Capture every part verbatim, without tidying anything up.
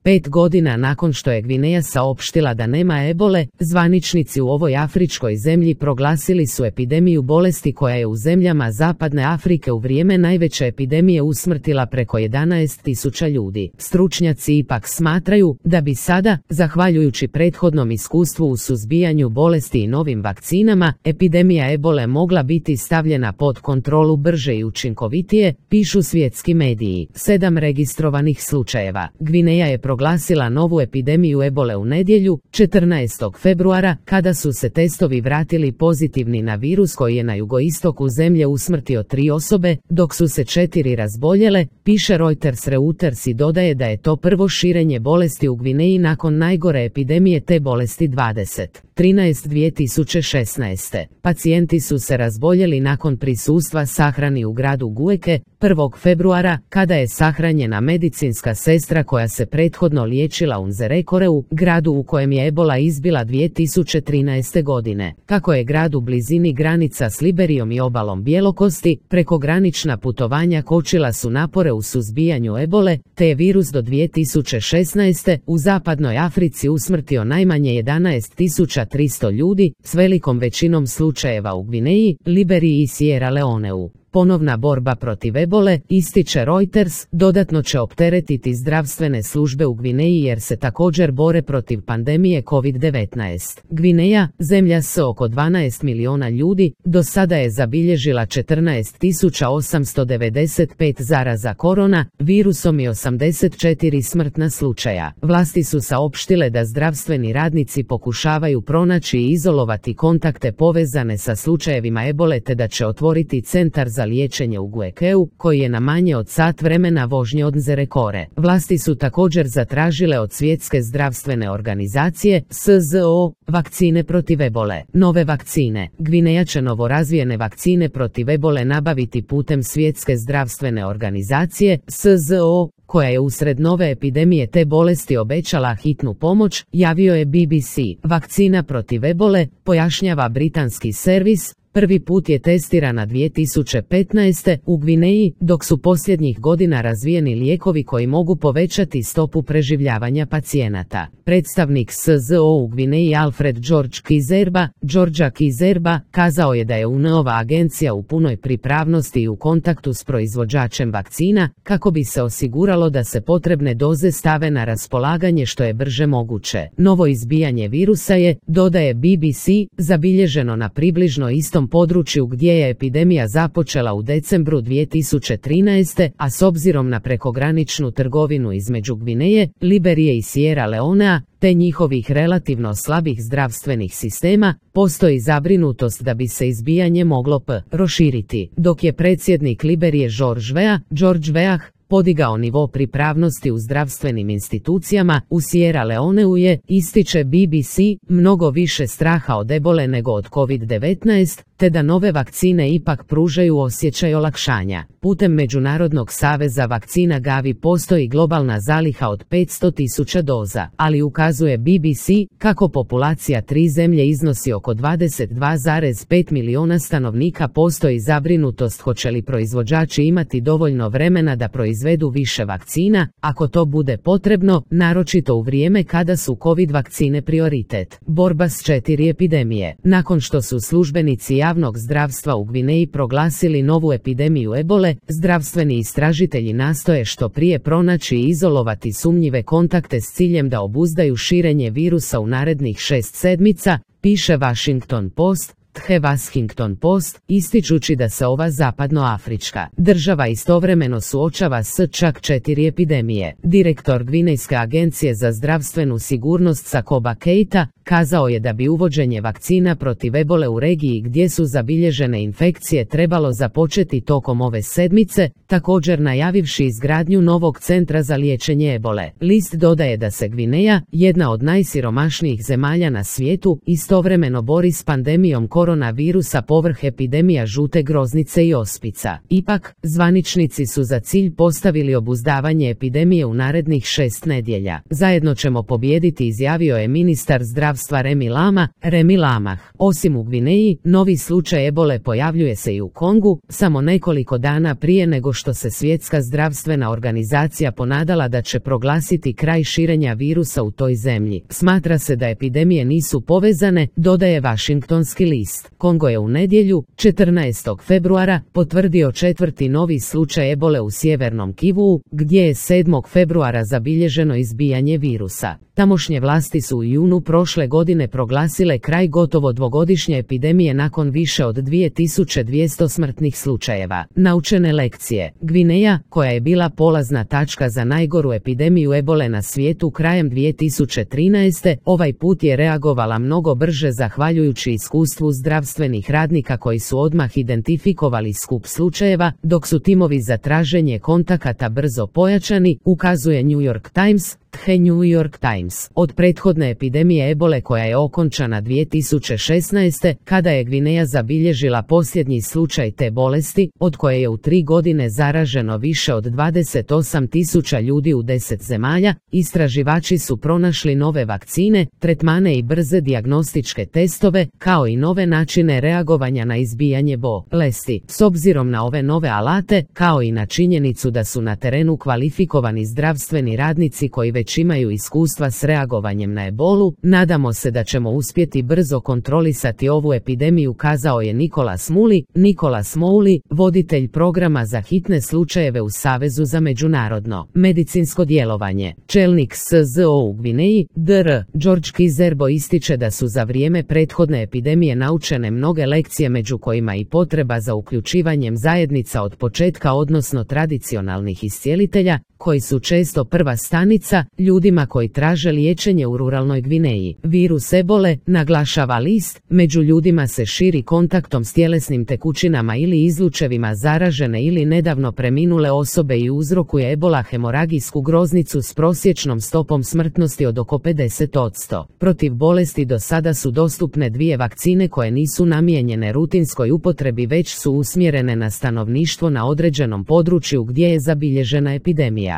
Pet godina nakon što je Gvineja saopštila da nema ebole, zvaničnici u ovoj afričkoj zemlji proglasili su epidemiju bolesti koja je u zemljama Zapadne Afrike u vrijeme najveće epidemije usmrtila preko jedanaest tisuća ljudi. Stručnjaci ipak smatraju da bi sada, zahvaljujući prethodnom iskustvu u suzbijanju bolesti i novim vakcinama, epidemija ebole mogla biti stavljena pod kontrolu brže i učinkovitije, pišu svjetski mediji. Sedam registrovanih slučajeva. Gvineja je proglasila novu epidemiju ebole u nedjelju, četrnaestog februara, kada su se testovi vratili pozitivni na virus koji je na jugoistoku zemlje usmrtio tri osobe, dok su se četiri razboljele, piše Reuters. Reuters i dodaje da je to prvo širenje bolesti u Gvineji nakon najgore epidemije te bolesti dvadeset trinaest dvije tisuće šesnaeste. Pacijenti su se razboljeli nakon prisustva sahrani u gradu Gueke, prvog februara, kada je sahranjena medicinska sestra koja se prethodno liječila u Nzerekoreu, gradu u kojem je ebola izbila dvije tisuće trinaeste. godine. Kako je grad u blizini granica s Liberijom i obalom Bjelokosti, prekogranična putovanja kočila su napore u suzbijanju ebole, te je virus do dvije tisuće šesnaeste. u zapadnoj Africi usmrtio najmanje jedanaest tisuća tristo ljudi, s velikom većinom slučajeva u Gvineji, Liberiji i Sierra Leoneu. Ponovna borba protiv ebole, ističe Reuters, dodatno će opteretiti zdravstvene službe u Gvineji jer se također bore protiv pandemije kovid devetnaest. Gvineja, zemlja s oko dvanaest milijuna ljudi, do sada je zabilježila četrnaest tisuća osamsto devedeset pet zaraza korona virusom i osamdeset četiri smrtna slučaja. Vlasti su saopštile da zdravstveni radnici pokušavaju pronaći i izolovati kontakte povezane sa slučajevima ebole te da će otvoriti centar za za liječenje u Guekeu, koji je na manje od sat vremena vožnje od Nzerekore. Vlasti su također zatražile od Svjetske zdravstvene organizacije, S Z O, vakcine protiv ebole. Nove vakcine. Gvineja će novorazvijene vakcine protiv ebole nabaviti putem Svjetske zdravstvene organizacije, S Z O, koja je usred nove epidemije te bolesti obećala hitnu pomoć, javio je B B C. Vakcina protiv ebole, pojašnjava britanski servis, prvi put je testirana dvije tisuće petnaeste. u Gvineji, dok su posljednjih godina razvijeni lijekovi koji mogu povećati stopu preživljavanja pacijenata. Predstavnik S Z O u Gvineji Alfred George Kizerba, Georgia Kizerba, kazao je da je U N ova agencija u punoj pripravnosti i u kontaktu s proizvođačem vakcina, kako bi se osiguralo da se potrebne doze stave na raspolaganje što je brže moguće. Novo izbijanje virusa je, dodaje B B C, zabilježeno na približno istom području gdje je epidemija započela u decembru dvije tisuće trinaeste. a s obzirom na prekograničnu trgovinu između Gvineje, Liberije i Sierra Leonea, te njihovih relativno slabih zdravstvenih sistema, postoji zabrinutost da bi se izbijanje moglo p. proširiti. Dok je predsjednik Liberije George Weah, George Weah, podigao nivo pripravnosti u zdravstvenim institucijama, u Sierra Leoneu je, ističe B B C, mnogo više straha od ebole nego od kovid devetnaest, te da nove vakcine ipak pružaju osjećaj olakšanja. Putem Međunarodnog saveza vakcina Gavi postoji globalna zaliha od petsto tisuća doza, ali ukazuje B B C kako populacija tri zemlje iznosi oko dvadeset dva zarez pet milijuna stanovnika. Postoji zabrinutost hoće li proizvođači imati dovoljno vremena da proizvedu više vakcina, ako to bude potrebno, naročito u vrijeme kada su kovid vakcine prioritet. Borba s četiri epidemije. Nakon što su službenici javnog zdravstva u Gvineji proglasili novu epidemiju ebole, zdravstveni istražitelji nastoje što prije pronaći i izolovati sumnjive kontakte s ciljem da obuzdaju širenje virusa u narednih šest sedmica, piše Washington Post. The Washington Post, ističući da se ova zapadnoafrička država istovremeno suočava s čak četiri epidemije. Direktor Gvinejske agencije za zdravstvenu sigurnost Sakoba Keita kazao je da bi uvođenje vakcina protiv ebole u regiji gdje su zabilježene infekcije trebalo započeti tokom ove sedmice, također najavivši izgradnju novog centra za liječenje ebole. List dodaje da se Gvineja, jedna od najsiromašnijih zemalja na svijetu, istovremeno bori s pandemijom koronavirusa koronavirusa povrh epidemija žute groznice i ospica. Ipak, zvaničnici su za cilj postavili obuzdavanje epidemije u narednih šest nedjelja. Zajedno ćemo pobijediti, izjavio je ministar zdravstva Remi Lama, Remi Lamah. Osim u Gvineji, novi slučaj ebole pojavljuje se i u Kongu, samo nekoliko dana prije nego što se Svjetska zdravstvena organizacija ponadala da će proglasiti kraj širenja virusa u toj zemlji. Smatra se da epidemije nisu povezane, dodaje Washingtonski list. Kongo je u nedjelju, četrnaestog februara, potvrdio četvrti novi slučaj ebole u sjevernom Kivuu, gdje je sedmog februara zabilježeno izbijanje virusa. Tamošnje vlasti su u junu prošle godine proglasile kraj gotovo dvogodišnje epidemije nakon više od dvije tisuće dvjesto smrtnih slučajeva. Naučene lekcije. Gvineja, koja je bila polazna tačka za najgoru epidemiju ebole na svijetu krajem dvije tisuće trinaeste. ovaj put je reagovala mnogo brže zahvaljujući iskustvu zdravstvenih radnika koji su odmah identifikovali skup slučajeva, dok su timovi za traženje kontakata brzo pojačani, ukazuje New York Times. The New York Times. Od prethodne epidemije ebole koja je okončana dvije tisuće šesnaeste. kada je Gvineja zabilježila posljednji slučaj te bolesti, od koje je u tri godine zaraženo više od dvadeset osam tisuća ljudi u deset zemalja, istraživači su pronašli nove vakcine, tretmane i brze dijagnostičke testove, kao i nove načine reagovanja na izbijanje bolesti. S obzirom na ove nove alate, kao i na činjenicu da su na terenu kvalifikovani zdravstveni radnici koji već imaju iskustva s reagovanjem na ebolu, nadamo se da ćemo uspjeti brzo kontrolisati ovu epidemiju, kazao je Nicholas Muli, Nicholas Mouli, voditelj programa za hitne slučajeve u Savezu za međunarodno medicinsko djelovanje. Čelnik S Z O u Gvineji, dr George Kizerbo, ističe da su za vrijeme prethodne epidemije naučene mnoge lekcije, među kojima i potreba za uključivanjem zajednica od početka, odnosno tradicionalnih iscijelitelja, koji su često prva stanica ljudima koji traže liječenje u ruralnoj Gvineji. Virus ebole, naglašava list, među ljudima se širi kontaktom s tjelesnim tekućinama ili izlučevima zaražene ili nedavno preminule osobe i uzrokuje ebola hemoragijsku groznicu s prosječnom stopom smrtnosti od oko pedeset posto. Protiv bolesti do sada su dostupne dvije vakcine koje nisu namijenjene rutinskoj upotrebi, već su usmjerene na stanovništvo na određenom području gdje je zabilježena epidemija.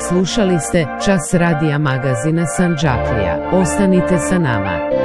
Slušali ste Čas radija magazina Sandžaklija. Ostanite sa nama.